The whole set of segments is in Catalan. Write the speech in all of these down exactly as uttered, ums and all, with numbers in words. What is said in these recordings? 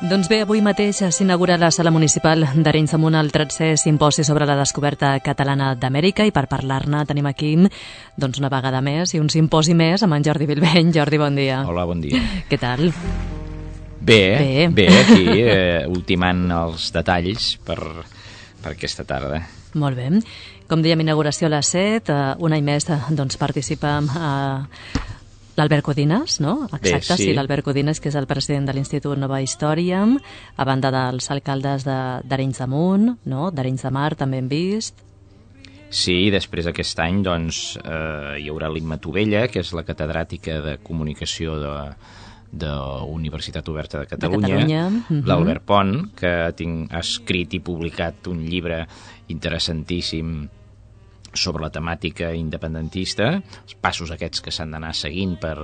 Doncs bé, avui mateix s'inaugura la sala municipal d'Arenys de Munt el tretzè simposi sobre la descoberta catalana d'Amèrica, i per parlar-ne tenim aquí doncs, una vegada més i un simposi més amb en Jordi Bilbeny. Jordi, bon dia. Hola, bon dia. Què tal? Bé, bé, bé aquí, eh, ultimant els detalls per, per aquesta tarda. Molt bé. Com dèiem, inauguració a les set, eh, un any més doncs, participa eh, l'Albert Codines, no? Exacte, Bé, sí, sí l'Albert Codines, que és el president de l'Institut Nova Història, a banda dels alcaldes d'Arenys de, de Munt, no? d'Arenys de Mar també hem vist. Sí, després aquest any doncs, eh, hi haurà l'Imma Tovella, que és la catedràtica de comunicació de, de Universitat Oberta de Catalunya, de Catalunya. Uh-huh. L'Albert Pont, que tinc, ha escrit i publicat un llibre interessantíssim sobre la temàtica independentista, els passos aquests que s'han d'anar seguint per,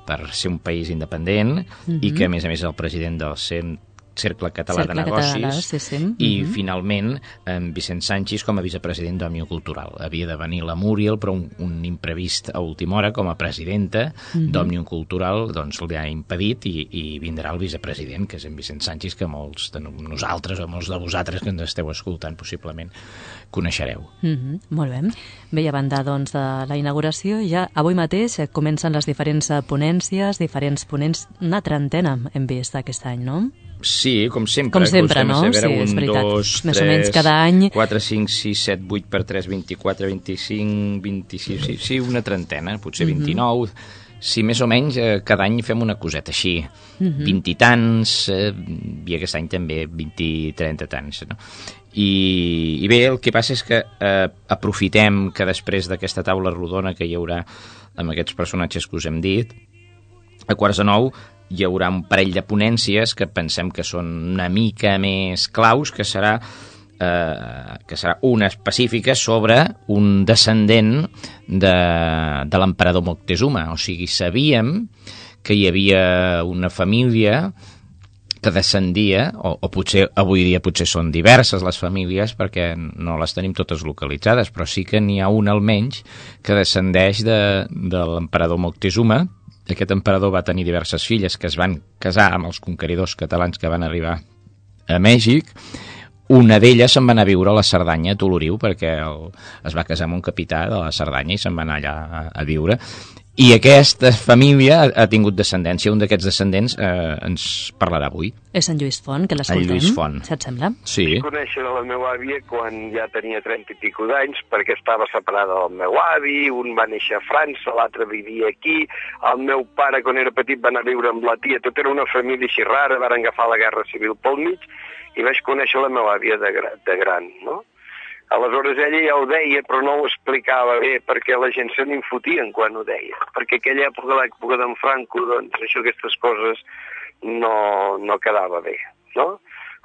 per ser un país independent, uh-huh. i que a més a més és el president del Cercle Català Cercle de Negocis, Català, sí, sí. Uh-huh. I finalment en Vicent Sanchis com a vicepresident d'Òmnium Cultural. Havia de venir la Múriel, però un, un imprevist a última hora com a presidenta uh-huh. d'Òmnium Cultural doncs li ha impedit, i, i vindrà el vicepresident, que és en Vicent Sanchis, que molts de nosaltres o molts de vosaltres que ens esteu escoltant possiblement coneixereu. Uh-huh. Molt bé. Bé, i a banda doncs, de la inauguració, ja avui mateix comencen les diferents ponències, diferents ponents, una trentena hem vist aquest any, no? Sí, com sempre. Com sempre, no? A veure, sí, és un, veritat. dos, més tres, o menys cada any. quatre, cinc, sis, set, vuit per tres, vint-i-quatre, vint-i-cinc, vint-i-sis, sí, sí, una trentena, potser vint-i-nou. Uh-huh. Sí, més o menys eh, cada any fem una coseta així. Uh-huh. vint i tants, eh, i aquest any també vint i trenta tants, no? I, I bé, el que passa és que eh, aprofitem que després d'aquesta taula rodona que hi haurà amb aquests personatges que us hem dit, a quarts de nou hi haurà un parell de ponències que pensem que són una mica més claus, que serà, eh, que serà una específica sobre un descendent de, de l'emperador Moctezuma. O sigui, sabíem que hi havia una família que descendia, o, o potser avui dia potser són diverses les famílies perquè no les tenim totes localitzades, però sí que n'hi ha una almenys que descendeix de, de l'emperador Moctezuma. Aquest emperador va tenir diverses filles que es van casar amb els conqueridors catalans que van arribar a Mèxic. Una d'elles se'n va anar a viure a la Cerdanya, a Toloriu, perquè el, es va casar amb un capità de la Cerdanya i se'n va anar allà a, a viure. I aquesta família ha, ha tingut descendència. Un d'aquests descendents eh, ens parlarà avui. És en Lluís Font, que l'escoltem. En Lluís Font. Si et sembla? Sí. Vaig conèixer la meva àvia quan ja tenia trenta i pico d'anys, perquè estava separada del meu avi, un va néixer a França, l'altre vivia aquí, el meu pare quan era petit va anar a viure amb la tia, tot era una família així rara, van agafar la Guerra Civil pel mig, i vaig conèixer la meva àvia de, gra, de gran, no? Aleshores ella ja ho deia, però no ho explicava bé, perquè la gent se n'infotien quan ho deia. Perquè aquella època, l'època d'en Franco, doncs això, aquestes coses no, no quedava bé, no?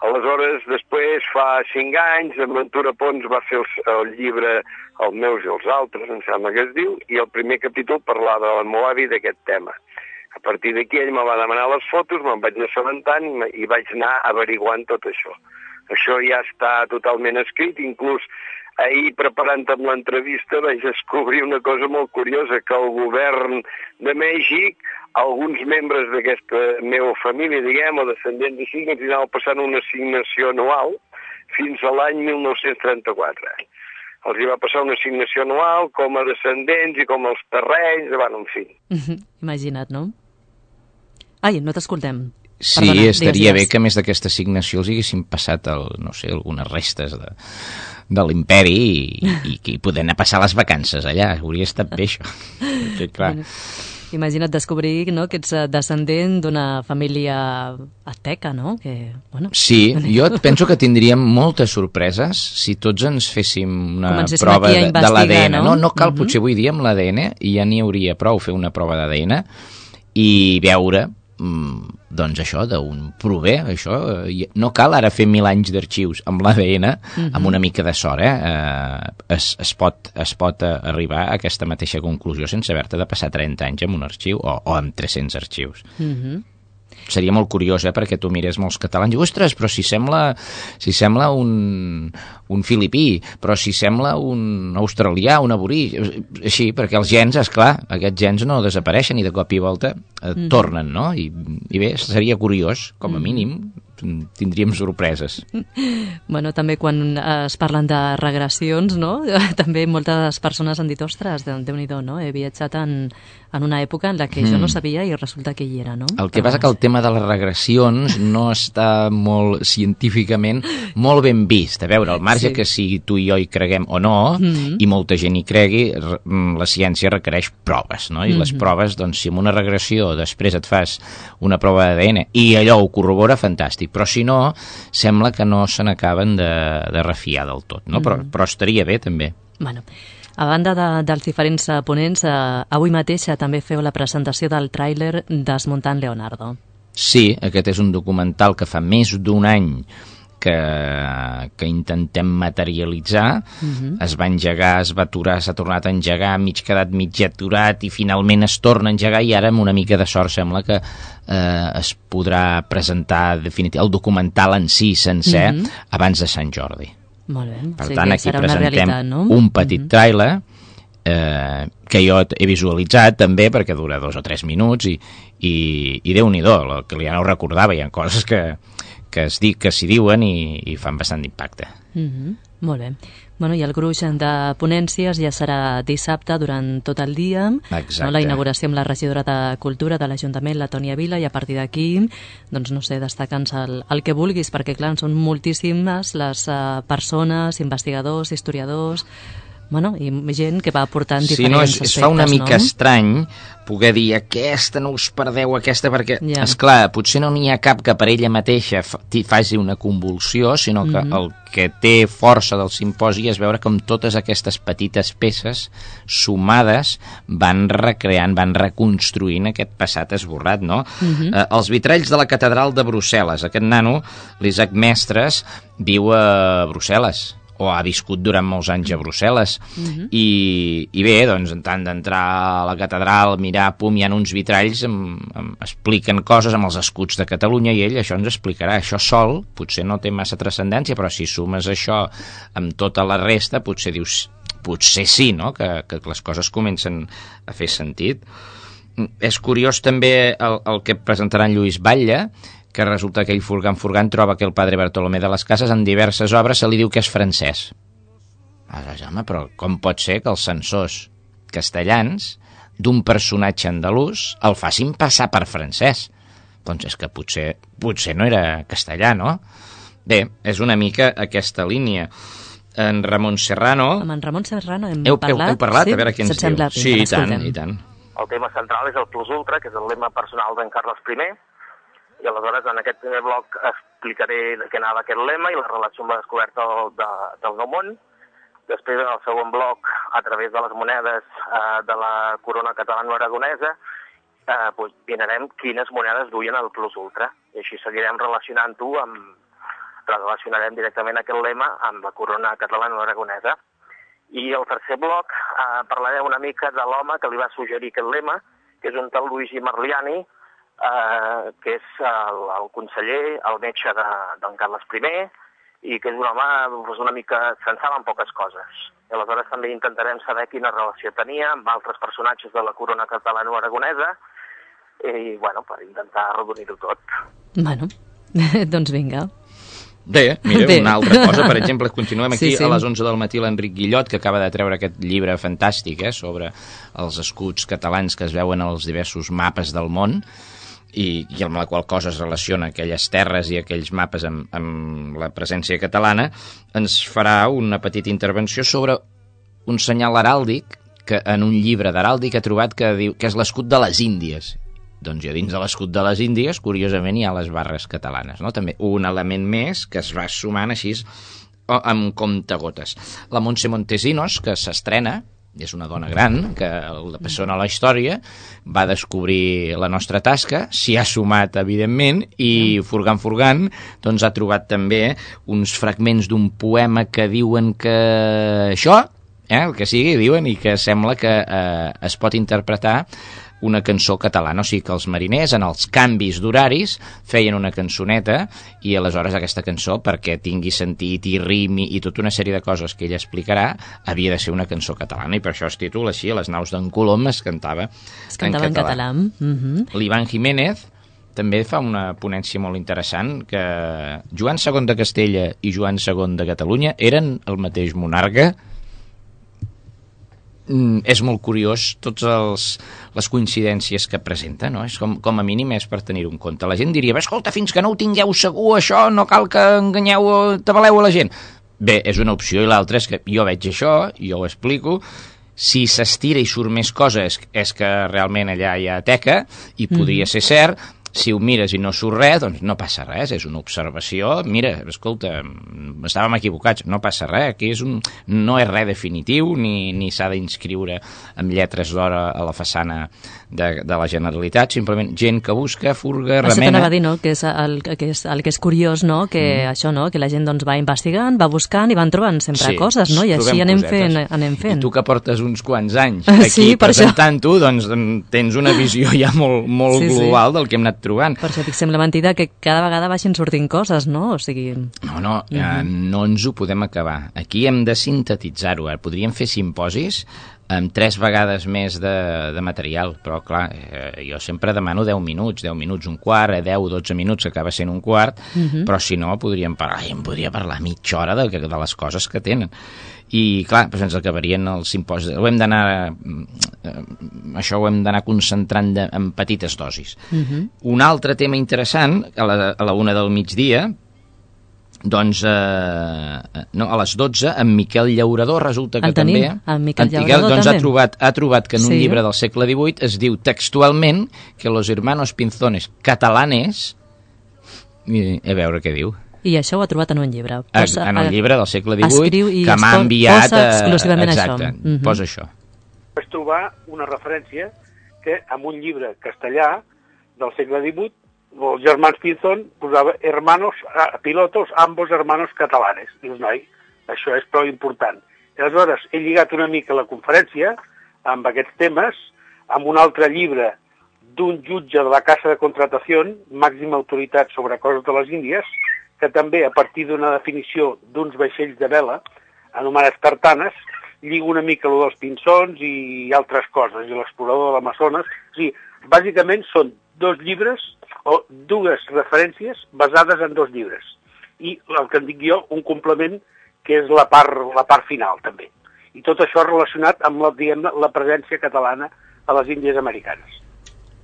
Aleshores, després, fa cinc anys, en Ventura Pons va fer el, el llibre Els meus i els altres, em sembla que es diu, i el primer capítol parlava del meu avi d'aquest tema. A partir d'aquí ell me va demanar les fotos, me'n vaig anar assabentant i vaig anar averiguant tot això. Això ja està totalment escrit, inclús ahir preparant amb l'entrevista vaig descobrir una cosa molt curiosa, que el govern de Mèxic, alguns membres d'aquesta meva família, diguem, o descendents així, que anava passant una assignació anual fins a l'any mil nou-cents trenta-quatre. Els hi va passar una assignació anual com a descendents i com els terrenys, bueno, en fi. Imagina't, no? Ai, no t'escoltem. Sí, Perdona, estaria digues, digues. bé que a més d'aquesta assignació els haguessin passat el, no sé, algunes restes de, de l'imperi i, i, i poder anar a passar les vacances allà. Hauria estat bé, això. Sí, clar. Imagina't descobrir, no?, que ets descendent d'una família azteca, no? Que, bueno... Sí, jo penso que tindríem moltes sorpreses si tots ens féssim una Comencéssim prova aquí a de, de l'A D N. no? No, no cal, uh-huh. potser avui dia amb l'A D N i ja n'hi hauria prou fer una prova d'A D N i veure... doncs això, d'on prové això, no cal ara fer mil anys d'arxius amb l'A D N, uh-huh. amb una mica de sort, eh? eh es, es pot, es pot arribar a aquesta mateixa conclusió sense haver-te de passar trenta anys en un arxiu o, o amb tres-cents arxius. Uh-huh. Seria molt curiós, eh, perquè tu mires molts catalans i, ostres, però si sembla, si sembla un, un filipí, però si sembla un australià, un aborí, així, perquè els gens, esclar, aquests gens no desapareixen i de cop i volta eh, mm. tornen, no? I, I bé, seria curiós, com a mínim, tindríem sorpreses. Bueno, també quan es parlen de regressions, no? També moltes persones han dit, ostres, Déu-n'hi-do, no? He viatjat en, en una època en la que mm. jo no sabia i resulta que hi era, no? El que passa que el tema de les regressions no està molt científicament molt ben vist. A veure, al marge sí. que si tu i jo hi creguem o no, mm-hmm. i molta gent hi cregui, la ciència requereix proves, no? I mm-hmm. les proves, doncs, si amb una regressió després et fas una prova d'A D N i allò ho corrobora, fantàstic. Però si no, sembla que no se n'acaben de, de refiar del tot, no? Mm-hmm. Però, però estaria bé, també. Bueno, a banda de, dels diferents ponents, eh, avui mateix també feu la presentació del tràiler Desmuntant Leonardo. Sí, aquest és un documental que fa més d'un any que, que intentem materialitzar. Uh-huh. Es va engegar, es va aturar, s'ha tornat a engegar, mig quedat mig aturat i finalment es torna a engegar i ara amb una mica de sort sembla que eh, es podrà presentar definitivament el documental en si sencer uh-huh. abans de Sant Jordi. Molt bé. Per sí, tant, aquí presentem realitat, no? un petit uh-huh. tràiler eh, que jo he visualitzat també perquè dura dos o tres minuts i, i, i Déu-n'hi-do, el que ja no ho recordava, hi ha coses que que es dic que s'hi diuen i, i fan bastant d'impacte. Mm-hmm. Molt bé. Bueno, i el gruix de ponències ja serà dissabte durant tot el dia. Exacte. No? La inauguració amb la regidora de Cultura de l'Ajuntament, la Tònia Vila, i a partir d'aquí, doncs no sé, destaca'ns el, el que vulguis, perquè clar, són moltíssimes les uh, persones, investigadors, historiadors, bueno, i gent que va aportant diferents sí, no, es, aspectes, es fa una mica no? estrany poder dir aquesta no us perdeu, aquesta, perquè, yeah. esclar, potser no n'hi ha cap que per ella mateixa faci una convulsió, sinó que mm-hmm. el que té força del simposi és veure com totes aquestes petites peces sumades van recreant, van reconstruint aquest passat esborrat, no? Mm-hmm. Eh, els vitralls de la catedral de Brussel·les. Aquest nano, l'Isaac Mestres, viu a Brussel·les, o ha viscut durant molts anys a Brussel·les. Uh-huh. I, i bé, doncs, en tant d'entrar a la catedral, mirar, pum, hi ha uns vitralls, amb, amb, expliquen coses amb els escuts de Catalunya, i ell això ens explicarà. Això sol potser no té massa transcendència, però si sumes això amb tota la resta, potser dius, potser sí, no?, que, que les coses comencen a fer sentit. És curiós també el, el que presentarà en Lluís Batlle, que resulta que ell furgant furgant troba que el padre Bartolomé de les Cases en diverses obres se li diu que és francès. Aleshores, home, però com pot ser que els censors castellans d'un personatge andalús el facin passar per francès? Doncs és que potser, potser no era castellà, no? Bé, és una mica aquesta línia. En Ramon Serrano... Amb en Ramon Serrano hem heu, parlat? Heu, heu parlat? Sí? A veure què ens diu. Sembla, sí, i tant, i tant. El tema central és el plus ultra, que és el lema personal d'en Carles primer, i aleshores en aquest primer bloc explicaré de què anava aquest lema i la relació amb la descoberta del, de, del Nou Món. Després, en el segon bloc, a través de les monedes eh, de la corona catalano-aragonesa, eh, doncs, mirarem quines monedes duien el plus ultra. I així seguirem relacionant-ho amb... relacionarem directament aquest lema amb la corona catalano-aragonesa. I el tercer bloc eh, parlarem una mica de l'home que li va suggerir aquest lema, que és un tal Luigi Marliani, Uh, que és el, el conseller, el metge de, d'en Carles primer, i que és un home doncs, una mica se'n saben poques coses. I aleshores també intentarem saber quina relació tenia amb altres personatges de la corona catalano-aragonesa i, bueno, per intentar arrodonir-ho tot. Bueno, doncs vinga. Bé, mira, Bé. Una altra cosa, per exemple, continuem aquí sí, sí. a les onze del matí l'Enric Guillot, que acaba de treure aquest llibre fantàstic eh, sobre els escuts catalans que es veuen als diversos mapes del món, i, i amb la qual cosa es relaciona aquelles terres i aquells mapes amb, amb la presència catalana, ens farà una petita intervenció sobre un senyal heràldic que en un llibre d'heràldic ha trobat que diu que és l'escut de les Índies. Doncs ja dins de l'escut de les Índies, curiosament, hi ha les barres catalanes, no? També un element més que es va sumant així amb comptagotes. La Montse Montesinos, que s'estrena, és una dona gran, que la persona a la història va descobrir la nostra tasca, s'hi ha sumat, evidentment, i furgant, furgant, doncs ha trobat també uns fragments d'un poema que diuen que això, eh, el que sigui, diuen, i que sembla que eh, es pot interpretar una cançó catalana, o sigui que els mariners en els canvis d'horaris feien una cançoneta i aleshores aquesta cançó, perquè tingui sentit i rimi i tota una sèrie de coses que ella explicarà, havia de ser una cançó catalana i per això es titula així, a les naus d'en Colom es cantava es cantava en català, en català. Mm-hmm. L'Ivan Jiménez també fa una ponència molt interessant, que Joan segon de Castella i Joan segon de Catalunya eren el mateix monarca. Mm, és molt curiós tots els, les coincidències que presenta, no? És com, com a mínim és per tenir-ho en compte. La gent diria, escolta, fins que no ho tingueu segur això, no cal que enganyeu, tabaleu a la gent. Bé, és una opció, i l'altra és que jo veig això, jo ho explico, si s'estira i surt més coses és que realment allà hi ha teca i podria mm. ser cert. Si ho mires i no surt res, doncs no passa res, és una observació. Mira, escolta, estàvem equivocats, no passa res, aquí és un, no és res definitiu, ni, ni s'ha d'inscriure amb lletres d'or a la façana de, de la Generalitat, simplement gent que busca, furga, remena... Això t'anava a dir, no?, que és el que és, el que és curiós, no?, que mm. això, no?, que la gent doncs va investigant, va buscant i van trobant sempre sí, coses, no?, i així anem fent, anem fent. I tu que portes uns quants anys aquí sí, presentant-ho, doncs tens una visió ja molt, molt sí, global sí. del que hem anat trobant. Per això dic, sembla mentida que cada vegada vagin sortint coses, no? O sigui... No, no, uh-huh. eh, no ens ho podem acabar. Aquí hem de sintetitzar-ho. Eh? Podríem fer simposis amb tres vegades més de, de material, però clar, eh, jo sempre demano deu minuts, deu minuts, un quart, eh, deu, dotze minuts, que acaba sent un quart, uh-huh. però si no podríem parlar, em podria parlar mitja hora de, de les coses que tenen. I clar, doncs ens acabarien els simposis. Ho hem d'anar, eh, això ho hem d'anar concentrant de, en petites dosis. Uh-huh. Un altre tema interessant, a la, a la una del migdia, doncs, eh, no, a les dotze, en Miquel Llaurador resulta que el tenim, també... en Miquel en Llaurador doncs, també. ha trobat, ha trobat que en un sí. llibre del segle divuit es diu textualment que los hermanos Pinzones catalanes... I, a veure què diu. I això ho ha trobat en un llibre. Posa, en el llibre del segle divuit, que m'ha enviat... Posa exclusivament exacte, això. Uh-huh. Posa això. Vaig trobar una referència que en un llibre castellà del segle divuit els germans Pinzón posava hermanos, pilotos, ambos hermanos catalanes. Dius, noi, això és prou important. I aleshores he lligat una mica la conferència amb aquests temes, amb un altre llibre d'un jutge de la Casa de Contratació, màxima autoritat sobre coses de les Índies, que també, a partir d'una definició d'uns vaixells de vela, anomenats tartanes, lliga una mica el dels pinçons i altres coses, i l'explorador de l'Amazones. O sigui, bàsicament són dos llibres o dues referències basades en dos llibres. I el que en dic jo, un complement que és la part, la part final, també. I tot això relacionat amb la, diguem-ne, la presència catalana a les Índies americanes.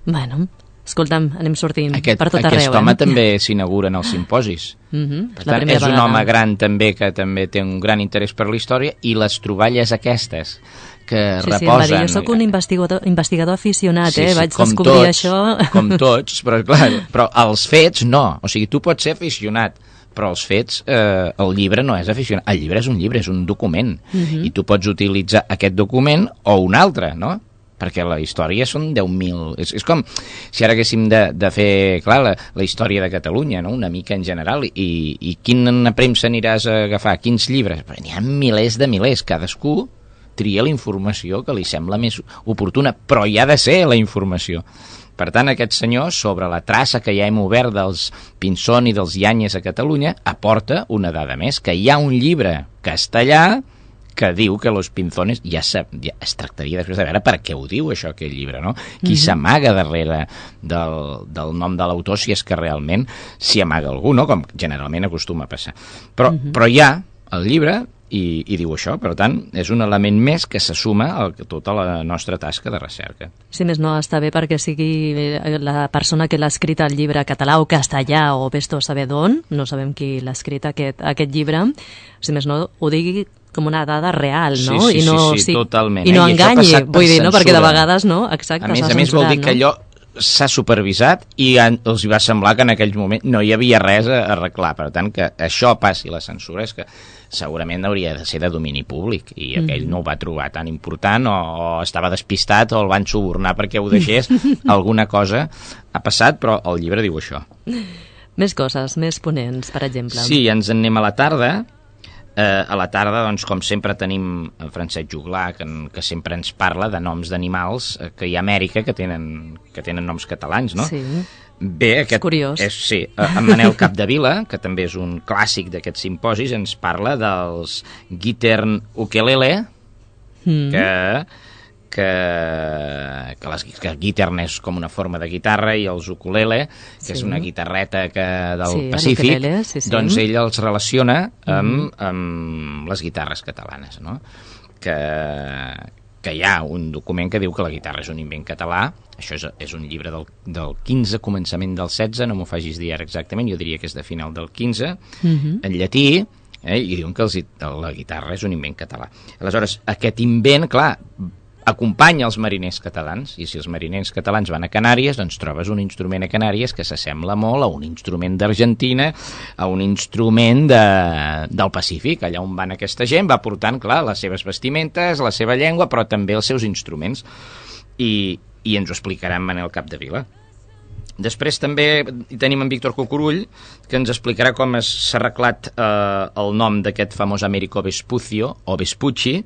Bueno, escolta'm, anem sortint aquest, per tot arreu. Aquest home eh? també s'inaugura en els simposis. Uh-huh. Per tant, és un home gran també que també té un gran interès per la història, i les troballes aquestes que sí, reposen... Sí, va dir, jo soc un investigador, investigador aficionat, sí, eh? sí, Vaig descobrir tots, això... Com tots, però clar, però els fets no. O sigui, tu pots ser aficionat, però els fets, eh, el llibre no és aficionat. El llibre és un llibre, és un document. Uh-huh. I tu pots utilitzar aquest document o un altre, no? Perquè la història són deu mil... És, és com si ara haguéssim de, de fer, clar, la, la història de Catalunya, no? Una mica en general, i, i quina premsa aniràs a agafar? Quins llibres? Però n'hi ha milers de milers, cadascú tria la informació que li sembla més oportuna, però hi ha de ser la informació. Per tant, aquest senyor, sobre la traça que ja hem obert dels Pinzón i dels Yáñez a Catalunya, aporta una dada més, que hi ha un llibre castellà que diu que los Pinzones, ja, se, ja es tractaria després de veure per què ho diu això, aquest llibre, no? Qui mm-hmm. s'amaga darrere del, del nom de l'autor, si és que realment s'hi amaga algú, no? Com generalment acostuma a passar. Però, mm-hmm. però hi ha el llibre i, i diu això, per tant, és un element més que se suma a tota la nostra tasca de recerca. Si més no, està bé perquè sigui la persona que l'ha escrit el llibre català o castellà o vés-te a saber d'on, no sabem qui l'ha escrit aquest, aquest llibre, si més no, ho digui com una dada real, no? Sí, sí, I no, sí, sí, sí totalment. I no eh? enganyi, I vull dir, no? Perquè de vegades, no? Exacte, a més, s'ha a més vol dir no? que allò s'ha supervisat i els va semblar que en aquell moment no hi havia res a arreglar. Per tant, que això passi la censura és que segurament hauria de ser de domini públic i aquell mm. no ho va trobar tan important o, o estava despistat o el van subornar perquè ho deixés. Alguna cosa ha passat, però el llibre diu això. Més coses, més ponents, per exemple. Sí, ens en anem a la tarda. Eh, a la tarda, doncs, com sempre, tenim el Francesc Juglà, que, que sempre ens parla de noms d'animals eh, que hi ha a Amèrica que tenen, que tenen noms catalans, no? Sí. Bé, aquest, és curiós. És, sí, en Manel Capdevila, que també és un clàssic d'aquests simposis, ens parla dels Guitern Ukelele, mm. que, que, que, les, que el guitarra és com una forma de guitarra i els ukulele, que sí. és una guitarreta que, del sí, Pacífic, ukulele, sí, sí. doncs ell els relaciona amb, mm. amb les guitarres catalanes, no? Que, que hi ha un document que diu que la guitarra és un invent català. Això és, és un llibre del, del quinze, començament del setze, no m'ho facis dir ara exactament, jo diria que és de final del quinze, mm-hmm. en llatí, eh, i diuen que els, la guitarra és un invent català. Aleshores, aquest invent, clar, acompanya els mariners catalans, i si els mariners catalans van a Canàries, doncs trobes un instrument a Canàries que s'assembla molt a un instrument d'Argentina, a un instrument de, del Pacífic. Allà on van aquesta gent va portant, clar, les seves vestimentes, la seva llengua, però també els seus instruments. I, i ens ho explicarà en Manel Capdevila. Després també hi tenim en Víctor Cucurull, que ens explicarà com s'ha arreglat eh, el nom d'aquest famós Américo Vespucio, o Vespucci,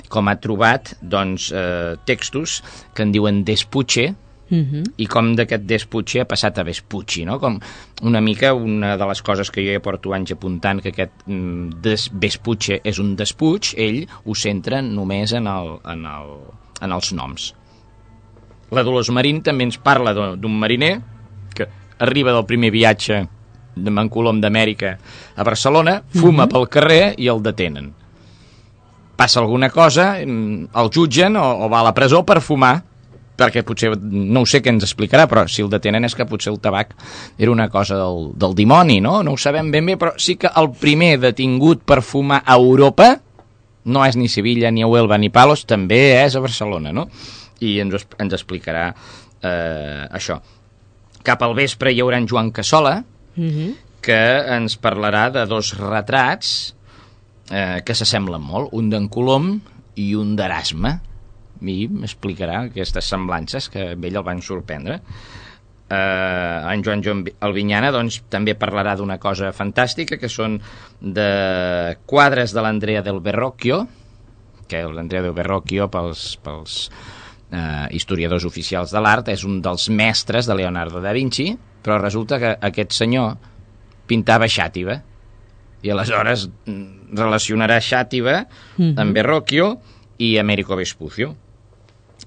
com ha trobat doncs, eh, textos que en diuen Despuche, uh-huh. i com d'aquest Despuche ha passat a Vespucci, no? Com una mica una de les coses que jo ja porto anys apuntant, que aquest mm, des, Vespuche és un despuig, ell ho centra només en, el, en, el, en els noms. La Dolors Marín també ens parla d'un mariner que arriba del primer viatge de Mancolom d'Amèrica a Barcelona, fuma mm-hmm. pel carrer i el detenen. Passa alguna cosa, el jutgen o, o va a la presó per fumar, perquè potser, no ho sé què ens explicarà, però si el detenen és que potser el tabac era una cosa del, del dimoni, no? No ho sabem ben bé, però sí que el primer detingut per fumar a Europa no és ni Sevilla, ni Huelva, ni Palos, també és a Barcelona, no? I ens, ens explicarà eh, això. Cap al vespre hi haurà en Joan Cassola, mm-hmm. que ens parlarà de dos retrats eh, que s'assemblen molt, un d'en Colom i un d'Erasme, i m'explicarà aquestes semblances que a ell el van sorprendre. Eh, en Joan Joan Albinyana doncs, també parlarà d'una cosa fantàstica, que són de quadres de l'Andrea del Verrocchio, que l'Andrea del Verrocchio pels... pels Uh, historiadors oficials de l'art, és un dels mestres de Leonardo da Vinci, però resulta que aquest senyor pintava Xàtiva, i aleshores relacionarà Xàtiva mm-hmm. amb Verrocchio i Américo Vespucio.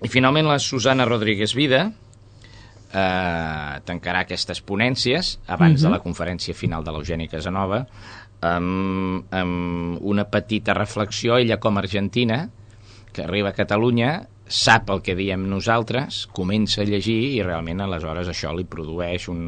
I finalment la Susana Rodríguez Vida uh, tancarà aquestes ponències abans mm-hmm. de la conferència final de l'Eugeni Casanova amb, amb una petita reflexió. Ella, com a argentina, que arriba a Catalunya, sap el que diem nosaltres, comença a llegir i realment aleshores això li produeix un,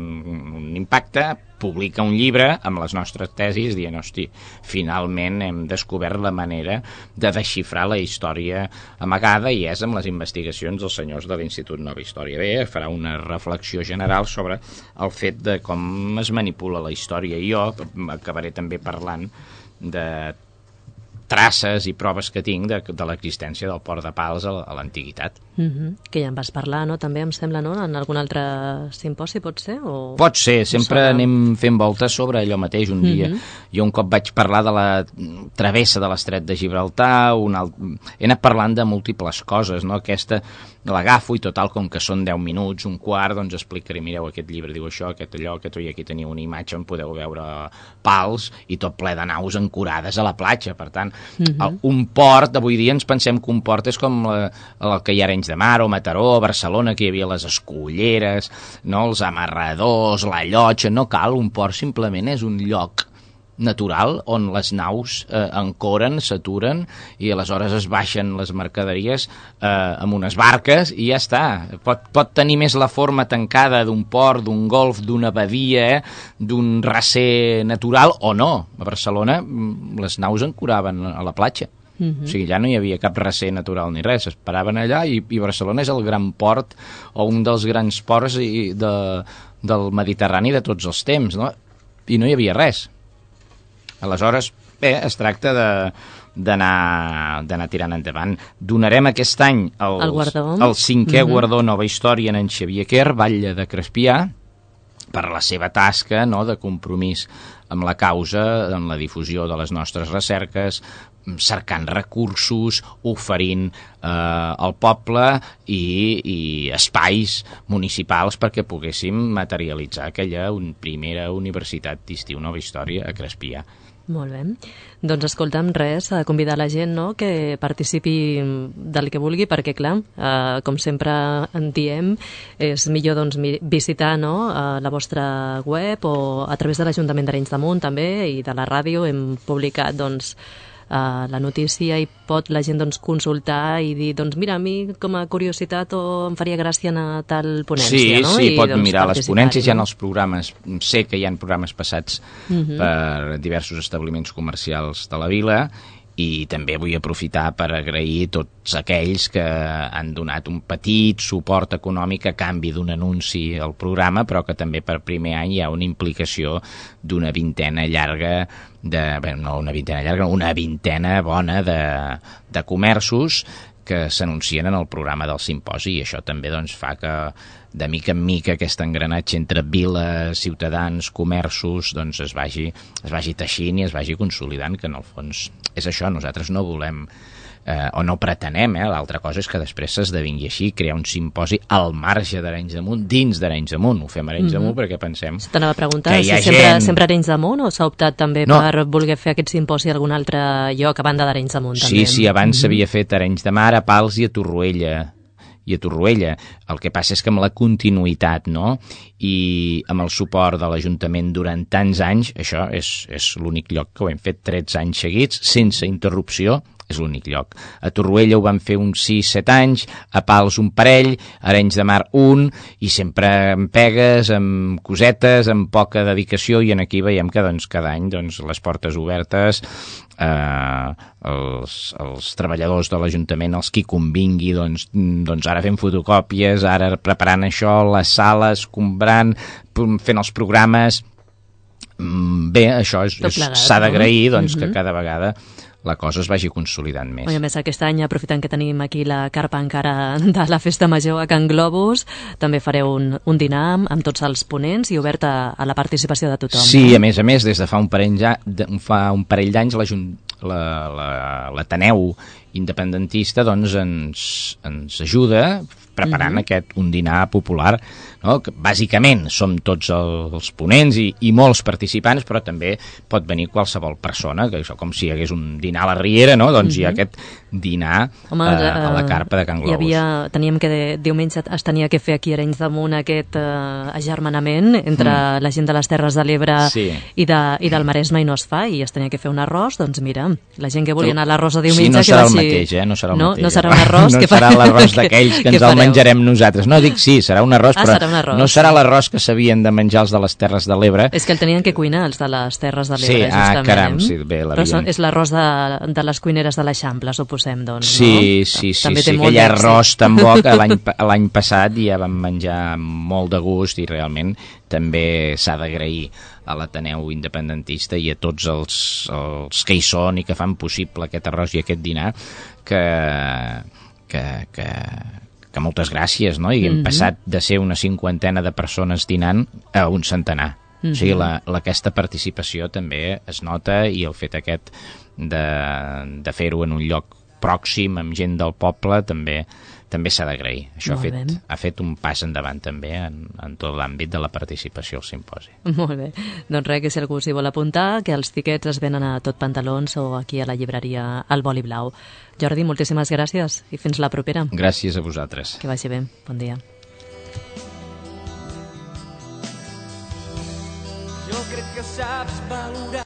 un impacte, publica un llibre amb les nostres tesis dient, hosti, finalment hem descobert la manera de desxifrar la història amagada, i és amb les investigacions dels senyors de l'Institut Nova Història. Bé, farà una reflexió general sobre el fet de com es manipula la història, i jo acabaré també parlant de traces i proves que tinc de, de l'existència del port de Pals a l'antiguitat. Mm-hmm. Que ja en vas parlar, no? També em sembla, no? En algun altre simposi, pot ser? O... Pot ser, sempre o anem fent voltes sobre allò mateix. Un mm-hmm. dia, jo un cop vaig parlar de la travessa de l'estret de Gibraltar, un alt... he anat parlant de múltiples coses, no? Aquesta l'agafo i total, com que són deu minuts, un quart, doncs explicaré, mireu, aquest llibre diu això, aquest allò, aquest allò, aquí teniu una imatge on podeu veure Pals i tot ple de naus ancorades a la platja. Per tant, mm-hmm. un port, avui dia ens pensem que un port és com la, el que hi ha a Arenys de Mar o Mataró, a Barcelona, que hi havia les escolleres, no? Els amarradors, la llotja. No cal, un port simplement és un lloc natural on les naus eh, ancoren, s'aturen i aleshores es baixen les mercaderies eh, amb unes barques i ja està. Pot, pot tenir més la forma tancada d'un port, d'un golf, d'una badia, eh, d'un recer natural o no. A Barcelona les naus ancoraven a la platja. Uh-huh. O sigui, allà no hi havia cap recer natural ni res, es paraven allà i, i Barcelona és el gran port o un dels grans ports i de, del Mediterrani de tots els temps, no? I no hi havia res. Aleshores, bé, es tracta de d'anar d'anar tirant endavant. Donarem aquest any el, el, guardó. el cinquè uh-huh. guardó Nova Història en Xavier Quer, Batlle de Crespià, per la seva tasca, no?, de compromís amb la causa, en la difusió de les nostres recerques, cercant recursos, oferint eh, al poble i, i espais municipals perquè poguéssim materialitzar aquella un, primera universitat d'estiu Nova Història a Crespià. Molt bé. Doncs escolta'm, res, a convidar la gent, no?, que participi del que vulgui, perquè, clar, eh, com sempre en diem, és millor doncs, visitar, no?, eh, la vostra web o a través de l'Ajuntament d'Arenys de Munt també, i de la ràdio hem publicat doncs, Uh, la notícia, i pot la gent doncs, consultar i dir, doncs mira, a mi com a curiositat o em faria gràcia anar a tal ponència, sí, no? Sí, sí, I, pot doncs, mirar les ponències, no? hi ha els programes, sé que hi ha programes passats uh-huh. per diversos establiments comercials de la vila, i també vull aprofitar per agrair tots aquells que han donat un petit suport econòmic a canvi d'un anunci al programa, però que també per primer any hi ha una implicació d'una vintena llarga de, bé, no una vintena llarga, una vintena bona de, de comerços que s'anuncien en el programa del simposi, i això també doncs, fa que de mica en mica aquest engranatge entre vila, ciutadans, comerços, doncs es vagi, es vagi teixint i es vagi consolidant, que en el fons és això, nosaltres no volem eh, o no pretenem, eh? L'altra cosa és que després s'esdevingui així, crear un simposi al marge d'Arenys de Munt, dins d'Arenys de Munt, ho fem a Arenys mm-hmm. de Munt perquè pensem t'anava a preguntar que hi ha si sempre, gent... sempre Arenys de Munt, o s'ha optat també no. per voler fer aquest simposi a algun altre lloc a banda d'Arenys de Munt? Sí, també. sí, abans s'havia mm-hmm. fet Arenys de Mar, a Pals i a Torroella, i a Torroella. El que passa és que amb la continuïtat, no?, i amb el suport de l'Ajuntament durant tants anys, això és, és l'únic lloc que ho hem fet tretze anys seguits, sense interrupció, és l'únic lloc. A Torroella ho van fer uns sis set anys, a Pals un parell, a Arenys de Mar un, i sempre amb pegues, amb cosetes, amb poca dedicació, i en aquí veiem que doncs, cada any doncs, les portes obertes, eh, els, els treballadors de l'Ajuntament, els qui convingui, doncs, doncs ara fem fotocòpies, ara preparant això, les sales, comprant, fent els programes. Bé, això és, és, s'ha d'agrair doncs, mm-hmm. que cada vegada la cosa es vagi consolidant més. I a més, aquest any, aprofitant que tenim aquí la carpa encara de la Festa Major a Can Globus, també fareu un, un dinar amb tots els ponents i obert a, a la participació de tothom. Sí, no? a més a més, des de fa un parell, de, fa un parell d'anys l'Ateneu independentista doncs, ens, ens ajuda preparant mm-hmm. aquest un dinar popular, no? Que bàsicament som tots els ponents i, i molts participants, però també pot venir qualsevol persona, que això com si hi hagués un dinar a la Riera, no? Doncs mm-hmm. hi ha aquest dinar Home, eh, a la carpa de Can Globus. Hi havia, teníem que de, diumenge es tenia que fer aquí a Arenys de Munt aquest eh, agermanament entre mm. la gent de les Terres de l'Ebre sí. i, de, i del Maresme, i no es fa, i es tenia que fer un arròs, doncs mira, la gent que volia anar a l'arròs de diumenge... Sí, no serà que el vagi... mateix, eh? No serà el no, mateix. No serà un arròs no que fa... serà l'arròs d'aquells que, que ens el menjarem nosaltres. No, dic sí, serà un arròs, ah, però serà un arròs. No serà l'arròs que s'havien de menjar els de les Terres de l'Ebre. És que el tenien que cuinar, els de les Terres de l'Ebre, sí, justament. Ah, caram, sí, bé, però són, és l'arròs de, de les cuineres de l'Eixample, suposem, doncs, sí, no? Sí, sí, també sí, té aquell arròs tan bo que l'any passat ja vam menjar molt de gust, i realment també s'ha d'agrair a l'Ateneu independentista i a tots els, els que hi són i que fan possible aquest arròs i aquest dinar, que, que, que, que moltes gràcies, no? I hem mm-hmm. passat de ser una cinquantena de persones dinant a un centenar. Mm-hmm. O sigui, la, la, aquesta participació també es nota, i el fet aquest de, de fer-ho en un lloc pròxim, amb gent del poble, també també s'ha d'agrair. Això ha fet, ha fet un pas endavant també en, en tot l'àmbit de la participació al simposi. Molt bé. Doncs res, que si algú s'hi vol apuntar, que els tiquets es venen a Tot Pantalons o aquí a la llibreria El Boli Blau. Jordi, moltíssimes gràcies i fins la propera. Gràcies a vosaltres. Que vagi bé. Bon dia. Jo crec que saps valorar